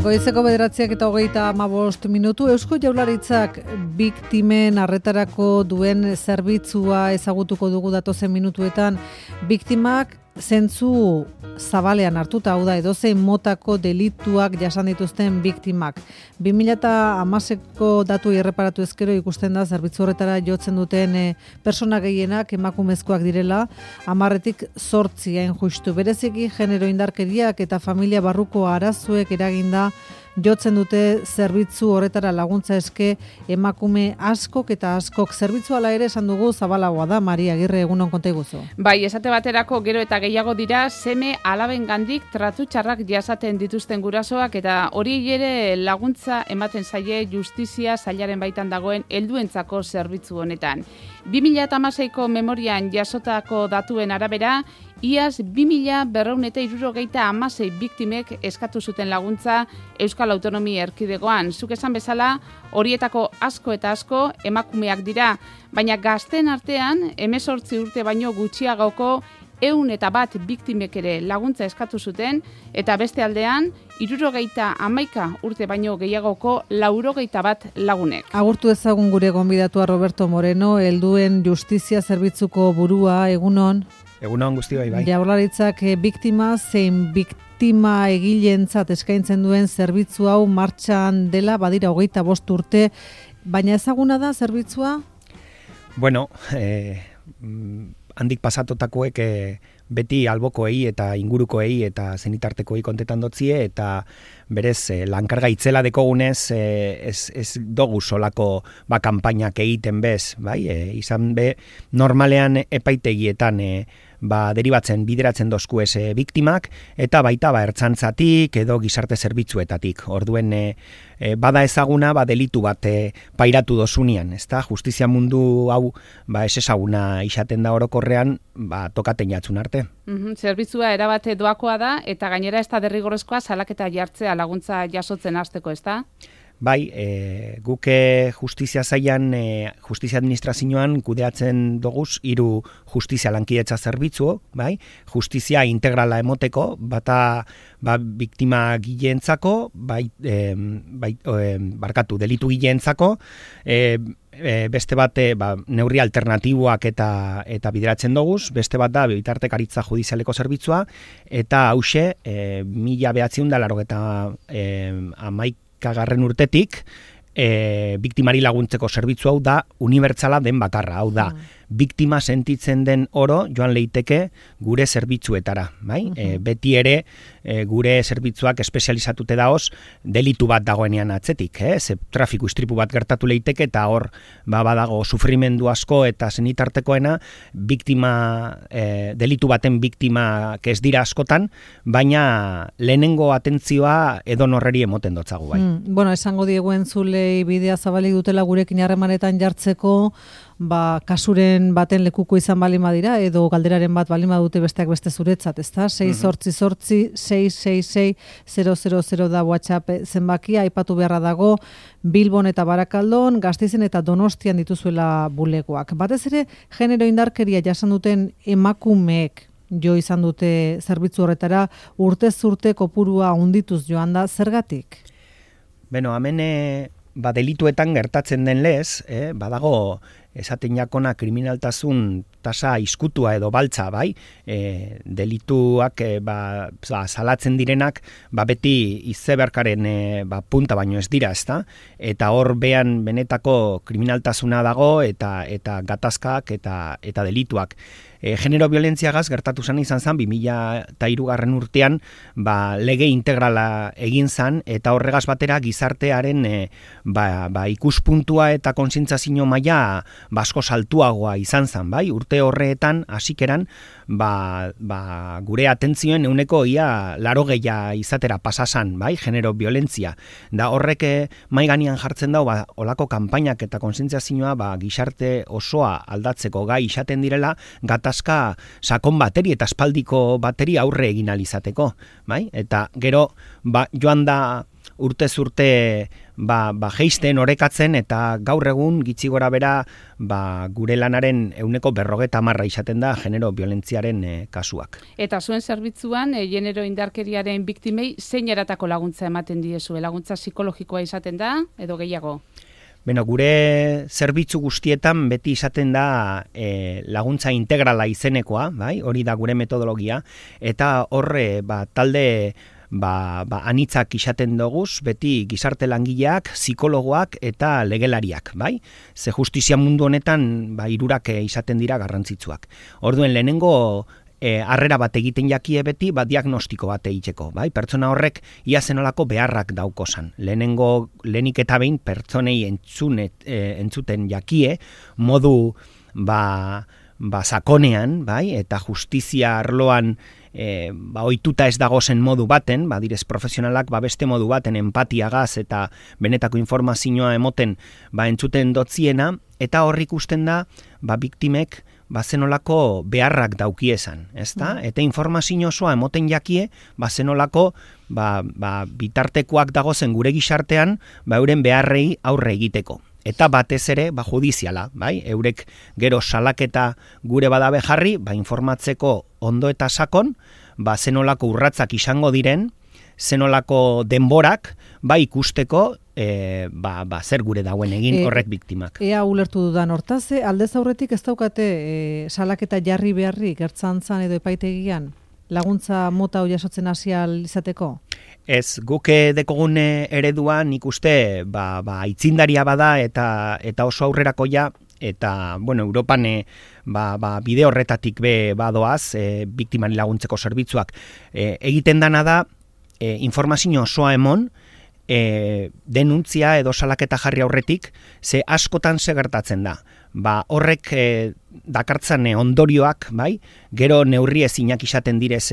Goizeko 9:25 Eusko Jaurlaritzak biktimen arretarako duen zerbitzua ezagutuko dugu datozen minutuetan. Biktimak zentzu zabalean hartuta, hau da, edozein motako delituak jasan dituzten biktimak. 2010ko datu erreparatu ezkero ikusten da zerbitzu horretara jotzen duten persona gehienak emakumezkoak direla, 10tik 8 hain justu. Bereziki genero indarkeriak eta familia barruko arazoek eraginda jotzen dute zerbitzu horretara laguntza eske emakume askok eta askok. Zerbitzu ala ere esan dugu zabalagoa da, Maria Agirre, egunon konta iguzu. Bai, esate baterako gero eta gehiago dira seme alabengandik tratu txarrak jasaten dituzten gurasoak, eta hori ere laguntza ematen zaie justizia sailaren baitan dagoen helduentzako zerbitzu honetan. 2016ko memorian jasotako datuen arabera, iaz 2276 biktimek eskatu zuten laguntza Euskal Autonomia Erkidegoan. Zuk esan bezala, horietako asko eta asko emakumeak dira, baina gazten artean 18 urte baino gutxiagoko 101 biktimek ere laguntza eskatu zuten, eta beste aldean 71 urte baino gehiagoko 91 lagunek. Agurtu ezagun gure gonbidatua Roberto Moreno, helduen justizia zerbitzuko burua, egunon. Egunon guztioi, bai. Jaurlaritzak biktima zein biktima egileentzat eskaintzen duen zerbitzu hau martxan dela, badira 25 urte, baina ezaguna da zerbitzua? Bueno, handik pasatotakoek beti albokoei eta ingurukoei eta zenitartekoei kontetan dotzie, eta berez lankarga itzela dekogunez ez dogu solako kanpainak egiten bez, bai? Izan be normalean epaitegietan deribatzen, bideratzen dozku biktimak, eta baita ertzantzatik edo gizarte zerbitzuetatik. Orduen bada ezaguna delitu bat pairatu dozunian, ezta? Justizia mundu hau ez ezaguna izaten da orokorrean, tokaten jatzun arte. Zerbitzua erabate doakoa da, eta gainera ez da derrigorrezkoa salaketa jartzea laguntza jasotzen hasteko, ezta? Bai, guke justizia zailan, justizia administrazioan kudeatzen doguz 3 justizia lankidetza zerbitzu, bai? Justizia integrala emoteko, bata biktima gileentzako, delitu gileentzako, beste bat neurri alternatiboak eta bideratzen doguz, beste bat da bitartekaritza judizialeko zerbitzua, eta hause 1991 urtetik biktimari laguntzeko zerbitzu hau da unibertsala den bakarra, hau da biktima sentitzen den oro joan leiteke gure zerbitzuetara, bai? Beti ere gure zerbitzuak espezializatute daoz delitu bat dagoenean atzetik, ze trafiku istripu bat gertatu leiteke eta hor badago sufrimendu asko eta zenitartekoena biktima, delitu baten biktimak ez dira askotan, baina lehenengo atentzioa edonorreri emoten dotzagu, bai. Bueno, esango diegu entzulei bidea zabalik dutela gurekin harremanetan jartzeko, kasuren baten lekuko izan balin badira, edo galderaren bat balin badute besteak beste zuretzat, ezta? 688-666-000 da WhatsApp zenbakia, aipatu beharra dago, Bilbon eta Barakaldon, Gasteizen eta Donostian dituzuela bulegoak. Batez ere, genero indarkeria jasan duten emakumeek jo izan dute zerbitzu horretara, urtez urte kopurua handituz joan da, zergatik? Beno, hemen delituetan gertatzen den lez, badago esaten jakona kriminaltasun tasa iskutua edo baltza, bai? Delituak salatzen direnak beti izeberkaren punta baino ez dira, ezta? Eta hor behan benetako kriminaltasuna dago eta gatazkak eta delituak. Genero violentziagaz gertatu izan 2003 urtean lege integrala egin zan, eta horregaz batera gizartearen ikuspuntua eta kontzientzazio maila asko saltuagoa izan zan, bai? Urte horretan hasikeran gure atentzioen euneko ia 80 izatera pasasan, bai? Genero violentzia. Da horrek mai gainean jartzen dau olako kanpainak eta kontzientzazioa gizarte osoa aldatzeko gai izaten direla, gatazka sakon bateri eta espaldiko bateri aurre egin alizateko, bai? Eta gero joan da urtez urte jeisten, orekatzen, eta gaur egun gitxi gora bera gure lanaren 50% izaten da genero violentziaren kasuak. Eta zuen zerbitzuan, genero indarkeriaren biktimei zein eratako laguntza ematen diezue? Laguntza psikologikoa izaten da, edo gehiago? Beno, gure zerbitzu guztietan beti izaten da laguntza integrala izenekoa, bai? Hori da gure metodologia, eta horre talde anitzak izaten doguz, beti gizarte langileak, psikologoak eta legelariak, bai? Ze justizia mundu honetan hirurak izaten dira garrantzitsuak. Orduen lehenengo harrera bat egiten jakie beti, diagnostiko bat egiteko, bai? Pertsona horrek ia zenolako beharrak daukozan. Lehenik eta behin pertsonei entzuten jakie, modu sakonean, bai? Eta justizia arloan ohituta ez dagozen modu baten, direz profesionalak beste modu baten empatiagaz eta benetako informazioa emoten entzuten dotziena, eta horrik ikusten da biktimek zenolako beharrak daukiezan, ezta? Eta informazio osoa emoten jakie zenolako bitartekoak dagozen gure gizartean euren beharrei aurre egiteko. Eta batez ere, judiziala, bai? Eurek gero salaketa gure badabe jarri, informatzeko ondo eta sakon, zenolako urratzak izango diren, zenolako denborak, ikusteko, zer gure dauen egin horrek biktimak. Ea ulertu dudan hortaze, aldez aurretik ez daukate salaketa jarri beharrik ertzaintzan edo epaitegian? Laguntza mota hori jasotzen hasia izateko? Ez, guk dekogun eredua nik uste aitzindaria bada eta oso aurrerakoia, eta Europan bide horretatik badoaz biktimari laguntzeko zerbitzuak. Egiten dana da informazio osoa emon, denuntzia edo salaketa jarri aurretik, ze askotan ze gertatzen da. Horrek dakartzan ondorioak, gero neurri ezinak izaten direz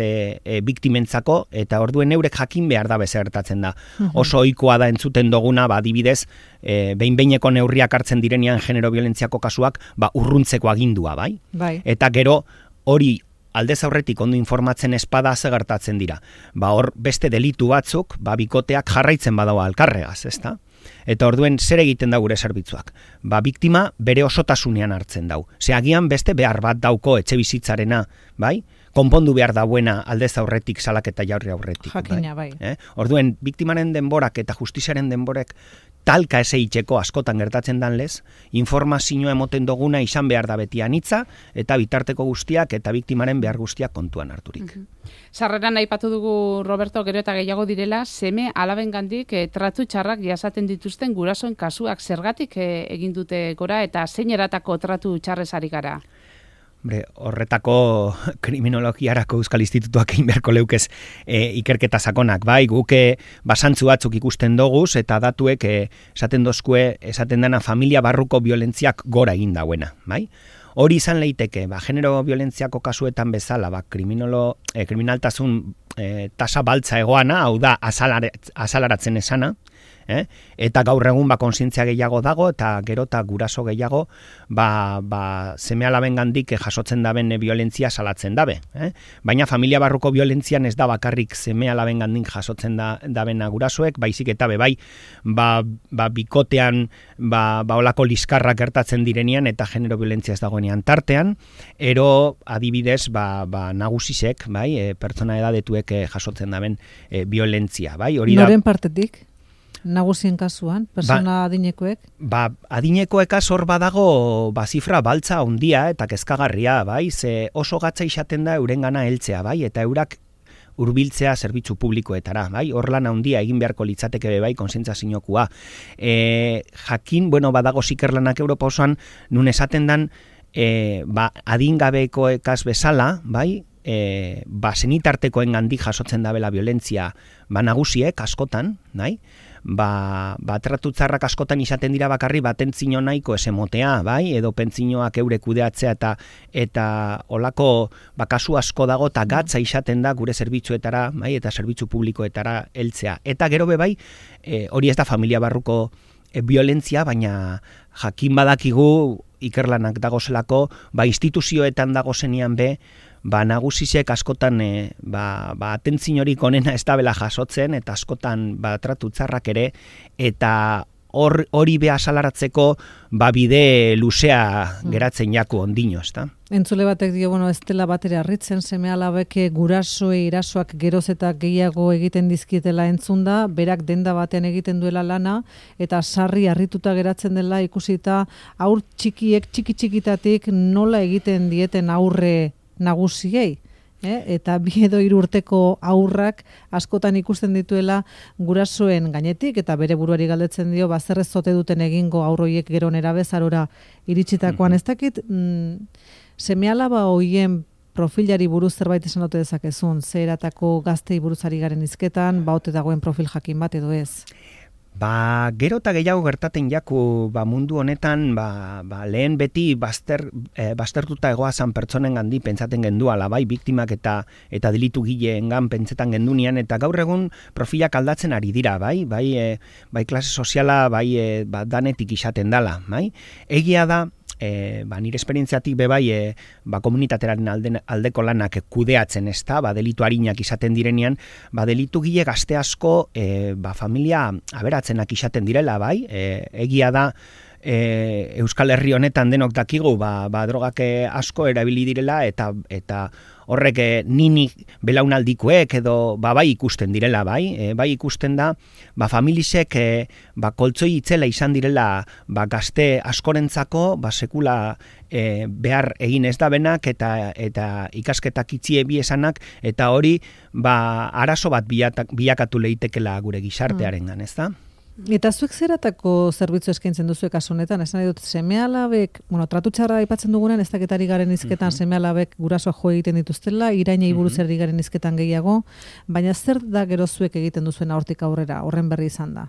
biktimentzako, eta orduen eurek jakin behar da bezertatzen da. Oso ohikoa da entzuten duguna, adibidez, behin-behineko neurriak hartzen direnean genero violentziako kasuak, urruntzeko agindua, bai? Eta gero hori aldez aurretik ondo informatzen espada gertatzen dira. Hor beste delitu batzuk, bikoteak jarraitzen badaua alkarregaz, ezta? Eta orduen zer egiten da gure zerbitzuak? Biktima bere osotasunean hartzen dau. Agian beste behar bat dauko etxe bizitzarena, bai? Konpondu behar dauena aldez aurretik salaketa jarri aurretik. Jakina, bai. Orduen, biktimaren denborak eta justiziaren denborek talka eseitzeko askotan gertatzen danlez, informazioa emoten duguna izan behar da beti anitza, eta bitarteko guztiak eta biktimaren behar guztiak kontuan harturik. Sarreran aipatu dugu, Roberto, gero eta gehiago direla, seme alabengandik tratu txarrak jasaten dituzten gurasoen kasuak zergatik egin dute gora, eta zein eratako tratu txarrez ari gara? Horretako kriminologiarako Euskal Institutuak egin beharko leukez ikerketa sakonak, guke basantzu batzuk ikusten doguz, eta datuek esaten dena familia barruko violentziak gora egin dauena, bai? Hori izan leiteke, genero violentziako kasuetan bezala, kriminaltasun tasa baltza egoana, hau da azalaratzen esana, eta gaur egun kontzientzia gehiago dago, eta gero eta guraso gehiago seme alabengandik jasotzen daben violentzia salatzen dabe. Baina familia barruko violentzian ez da bakarrik seme alabengandik jasotzen dabena gurasoek, baizik eta bikotean olako liskarrak gertatzen direnean eta genero violentzia ez dagoenean tartean, ero adibidez nagusisek, pertsona edadetuek jasotzen daben violentzia. Noren partetik? Nagusien kasuan, persona adinekoek? Adinekoek hor badago zifra baltza handia eta kezkagarria, ze oso gatza izaten da eurengana heltzea, eta eurak hurbiltzea zerbitzu publikoetara, hor lan handia egin beharko litzateke kontzientziazinokua. Jakin, badago zikerlanak Europa osoan, nun esaten dan, adingabekoekaz bezala, senitartekoen gandik jasotzen dabela violentzia nagusiek askotan, tratu txarrak askotan izaten dira bakarri batentzino nahiko esemotea, edo pentzinoak eure kudeatzea eta olako kasu asko dago eta gatza izaten da gure zerbitzuetara, eta zerbitzu publikoetara heltzea. Eta gero hori ez da familia barruko violentzia, baina jakin badakigu ikerlanak dagozelako, instituzioetan dagozenean nagusisek askotan atentziñorik onena ez dabela jasotzen, eta askotan tratu txarrak ere, eta hori beha salaratzeko bide luzea geratzen jaku ondino, ez da? Entzule batek dio, ez dela batera harritzen, seme-alabek gurasoei irasoak geroz eta gehiago egiten dizkietela entzunda, berak denda batean egiten duela lana, eta sarri harrituta geratzen dela ikusita aur txiki-txikitatik nola egiten dieten aurre nagusiei. Eta 2 edo 3 urteko aurrak askotan ikusten dituela gurasoen gainetik, eta bere buruari galdetzen dio, zer ez zote duten egingo aurroiek gero nerabezarora iritsitakoan. Ez dakit, seme-alaba hoien profilari buruz zerbait esan ote dezakezun, zeratako gaztei buruzari garen hizketan, ote dagoen profil jakin bat edo ez? Gero eta gehiago gertaten jaku mundu honetan, lehen beti baztertuta egoazan pertsonen gandi pentsaten genduala, bai, biktimak eta delitu gileengan pentsetan gendunian, eta gaur egun profilak aldatzen ari dira, bai klase soziala, danetik izaten dala, bai. Egia da, nire esperientziatik bebai komunitatearen aldeko lanak kudeatzen, ez da, delitu harinak izaten direnean, delitu gile gazte asko familia aberatzenak izaten direla, bai, egia da, Euskal Herri honetan denok dakigu drogak asko erabili direla, eta horrek nini belaunaldikoek edo bai ikusten direla, bai ikusten da familisek koltzoi itzela izan direla gazte askorentzako sekula behar egin ez da benak eta ikasketak itzie bi esanak, eta hori arazo bat bilakatu leitekela gure gizartearengan, ez da? Eta zuek zeratako zerbitzu eskaintzen duzuek kasu honetan, esan dut seme-alabek, tratu txarra aipatzen dugunen, ez daketari garen hizketan seme-alabek gurasoa jo egiten dituztela, irainei buruz herri garen hizketan gehiago, baina zer da gero zuek egiten duzuena hortik aurrera, horren berri izan da?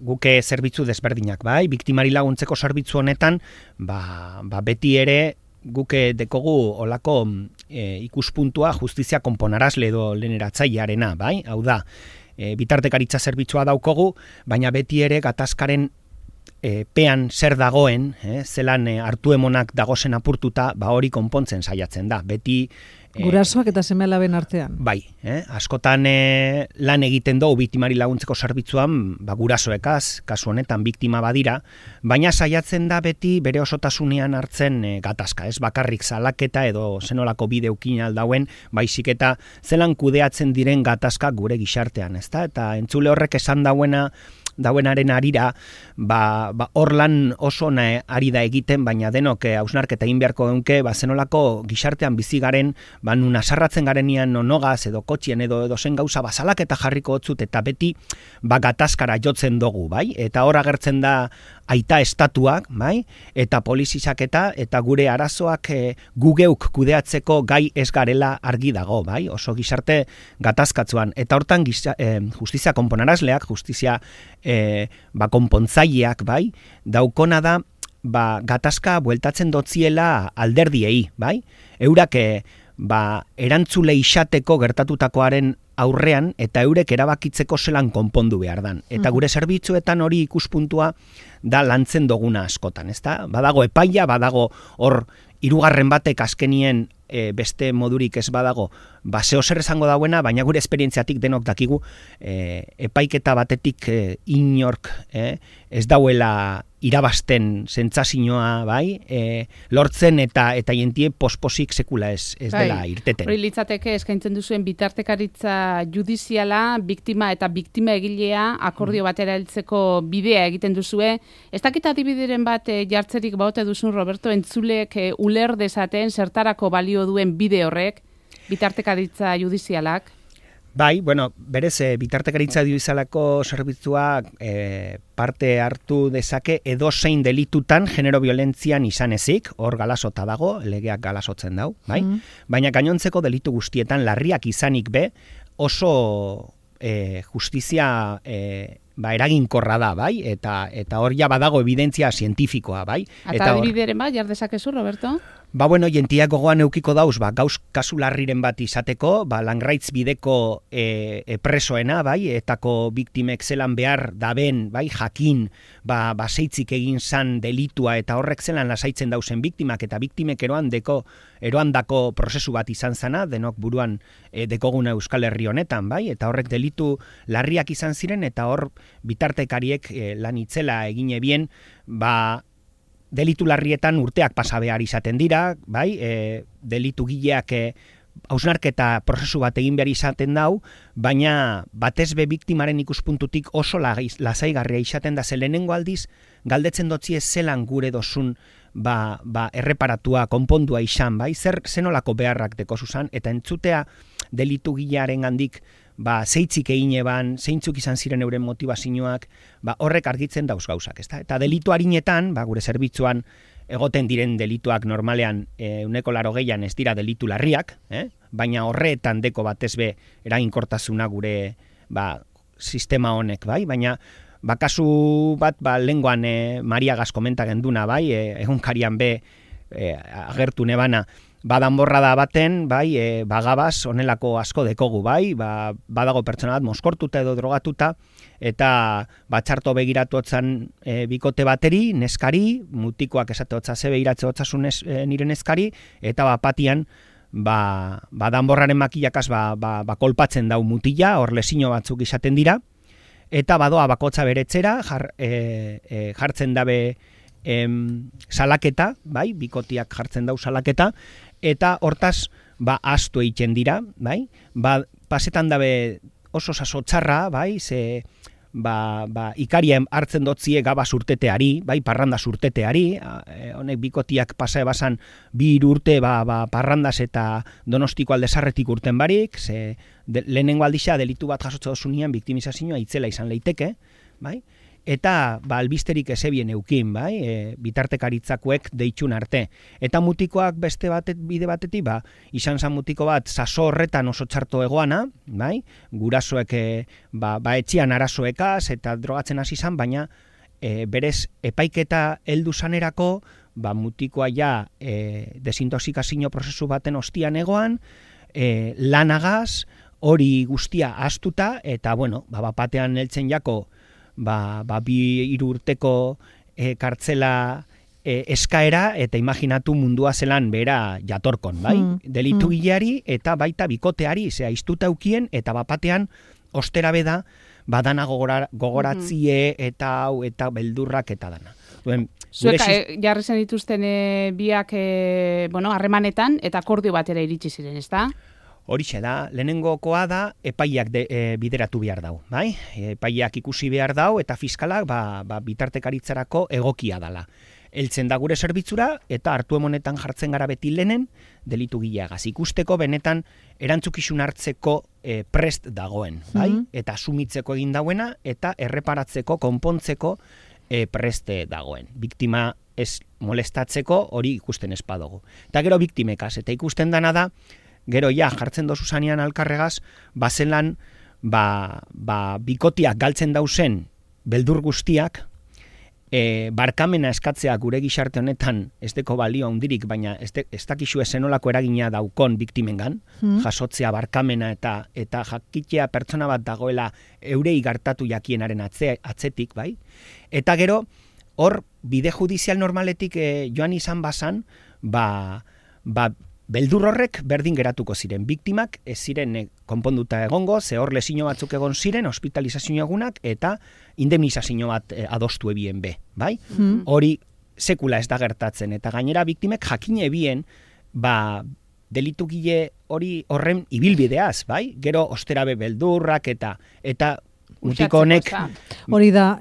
Guke zerbitzu desberdinak, bai, biktimari laguntzeko zerbitzu honetan, beti ere guke dekogu olako ikuspuntua justizia konponarazle edo leheneratzailearena, bai, hau da, bitartekaritza zerbitzua daukogu, baina beti ere gatazkaren pean zer dagoen, zelan hartu emonak dagozen apurtuta, hori konpontzen saiatzen da. Beti gurasoak eta seme-alaben artean. Bai, askotan lan egiten dugu biktimari laguntzeko zerbitzuan, gurasoekaz, kasu honetan biktima badira, baina saiatzen da beti bere osotasunean hartzen gatazka, ez bakarrik salaketa edo zenolako bideukin aldauen, baizik eta zelan kudeatzen diren gatazka gure gizartean, ezta? Eta entzule horrek esan dauenaren arira, hor lan oso ari da egiten, baina denok hausnarketa egin beharko geunke, zenolako gizartean bizi garen, nun asarratzen garenean nonogaz edo kotxien edo zen gauza bazalak eta jarriko hotzut, eta beti gatazkara jotzen dugu, bai? Eta hor agertzen da aita estatuak, bai? Eta polizizak eta gure arazoak gugeuk kudeatzeko gai ez garela argi dago, bai? Oso gizarte gatazkatzuan. Eta hortan justizia konponarazleak, justizia konpontzaileak, bai? Daukona da, gatazka bueltatzen dotziela alderdiei, bai? Eurak erantzule izateko gertatutakoaren aurrean eta eurek erabakitzeko zelan konpondu behar dan. Eta gure zerbitzuetan hori ikuspuntua da lantzen doguna askotan, ezta? Badago epaia, badago hor 3. batek azkenien beste modurik ez badago, zeo zer esango dauena, baina gure esperientziatik denok dakigu epaiketa batetik inork ez dauela irabazten sentsazioa, bai, lortzen eta jentie posposik sekula ez dela irteten. Hori litzateke eskaintzen duzuen bitartekaritza judiziala, biktima eta biktima egilea akordio batera heltzeko bidea egiten duzue. Ez dakit adibideren bat jartzerik baote duzun, Roberto, entzulek uler dezaten zertarako balio duen bide horrek, bitartekaritza judizialak? Bai, berez, bitartekaritza judizialako zerbitzua parte hartu dezake edozein delitutan genero violentzian izan ezik, hor galasota dago, legeak galasotzen dau, bai? Baina gainontzeko delitu guztietan larriak izanik be, oso justizia eraginkorra da, bai? Eta hor ja badago evidentzia zientifikoa, bai? Eta adibideren bat, jar dezakezu, Roberto? Ba, bueno, jentiak gogoan eukiko dauz, gauz kasu larriren bat izateko, langraitz bideko presoena, etako biktimek zelan behar daben, jakin, seitzik egin zan delitua, eta horrek zelan lasaitzen dauzen biktimak, eta biktimek eroandako prozesu bat izan zana, denok buruan dekoguna Euskal Herri honetan, eta horrek delitu larriak izan ziren, eta hor bitartekariek lan itzela egine bien, delitu larrietan urteak pasa behar izaten dira, delitu gileak hausnarketa prozesu bat egin behar izaten dau, baina batez be biktimaren ikuspuntutik oso lasaigarria izaten da, ze lehenengo aldiz galdetzen dotzie zelan gure dozun erreparatua, konpondua izan, zenolako beharrak deko zuzan, eta entzutea delitu gilearen gandik zeitzik egin eban, zeintzuk izan ziren euren motivazioak, horrek argitzen dauz gauzak, ezta? Eta delitu harinetan, gure zerbitzuan egoten diren delituak normalean 80% ez dira delitu larriak, baina horretan deko batez be eraginkortasuna gure sistema honek, baina kasu bat lenguan Mariagaz komenta genduna, egunkarian be agertu nebana, danborrada baten, bagabaz, onelako asko dekogu, badago pertsona bat moskortuta edo drogatuta, eta txarto begiratu otzan bikote bateri, neskari, mutikoak esate otza ze begiratze otzasun nire neskari, eta patian, danborraren makillakaz kolpatzen dau mutila, hor lesino batzuk izaten dira, eta badoa bakotza beretzera, jartzen dabe salaketa, bikotiak jartzen dau salaketa, eta hortaz, astu egiten dira, pasetan dabe oso saso txarra, ze ikaria hartzen dotzie gaba surteteari, parranda surteteari, honek bikotiak pasa ebasan 2 urte parrandaz eta Donostiko aldezarretik urten barik, ze lehenengo aldixa delitu bat jasotze dozunean biktimizazioa itzela izan leiteke, eta albisterik ezebien eukin, bitartekaritzakuek deitxun arte. Eta mutikoak beste bide batetik, izan zan mutiko bat saso horretan oso txarto egoana, gurasoek etxian arazoekaz eta drogatzen hasi zan, baina berez epaiketa heldu zanerako, mutikoa ja desintoxikazio prozesu baten ostian egoan, lanagaz, hori guztia astuta, eta batean heltzen jako 2-3 urteko kartzela eskaera, eta imaginatu mundua zelan bera jatorkon, delitu gileari eta baita bikoteari, iztuta eukien, eta batean ostera beda, dana gogoratzie eta hau, eta beldurrak eta dana. Zuek jarri zen dituzten biak harremanetan, eta akordio batera iritsi ziren, ezta? Horixe da, lehenengokoa da epaiak bideratu behar dau, epaiak ikusi behar dau, eta fiskalak bitartekaritzarako egokia dala. Heltzen da gure zerbitzura, eta hartu emonetan jartzen gara beti lehenen delitu gileagaz. Ikusteko benetan erantzukizun hartzeko prest dagoen, eta asumitzeko egin dauena, eta erreparatzeko, konpontzeko preste dagoen. Biktima ez molestatzeko hori ikusten ez badugu. Eta gero biktimekaz, eta ikusten dana da, gero jartzen dozu zanean alkarregaz, bazelan bikotiak galtzen dauzen beldur guztiak, barkamena eskatzea gure gizarte honetan ez deko balio handirik, baina ez dakizu ezenolako eragina daukon biktimengan, jasotzea barkamena eta jakitea pertsona bat dagoela eurei gartatu jakienaren atzetik, Eta gero, hor, bide judizial normaletik joan izan bazan, beldur horrek berdin geratuko ziren. Biktimak ez ziren konponduta egongo, ze hor lesino batzuk egon ziren, hospitalizazio egunak, eta indemnizazio bat adostu ebien be, Hori sekula ez da gertatzen, eta gainera biktimek jakine ebien, delitu gile horren ibilbideaz, Gero osterabe beldurrak eta mutiko honek... Hori da,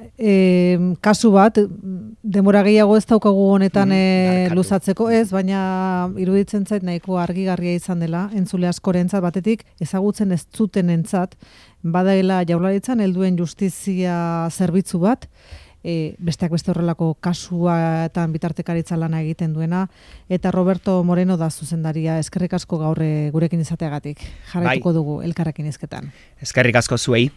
kasu bat, denbora gehiago ez daukagu honetan luzatzeko ez, baina iruditzen zait nahiko argigarria izan dela, entzule askorentzat batetik, ezagutzen ez zutenentzat, badaela Jaurlaritzan helduen justizia zerbitzu bat, besteak beste horrelako kasuetan bitartekaritza lana egiten duena, eta Roberto Moreno da zuzendaria, eskerrik asko gaur gurekin izateagatik. Jarraituko dugu elkarrekin hizketan. Eskerrik asko zuei.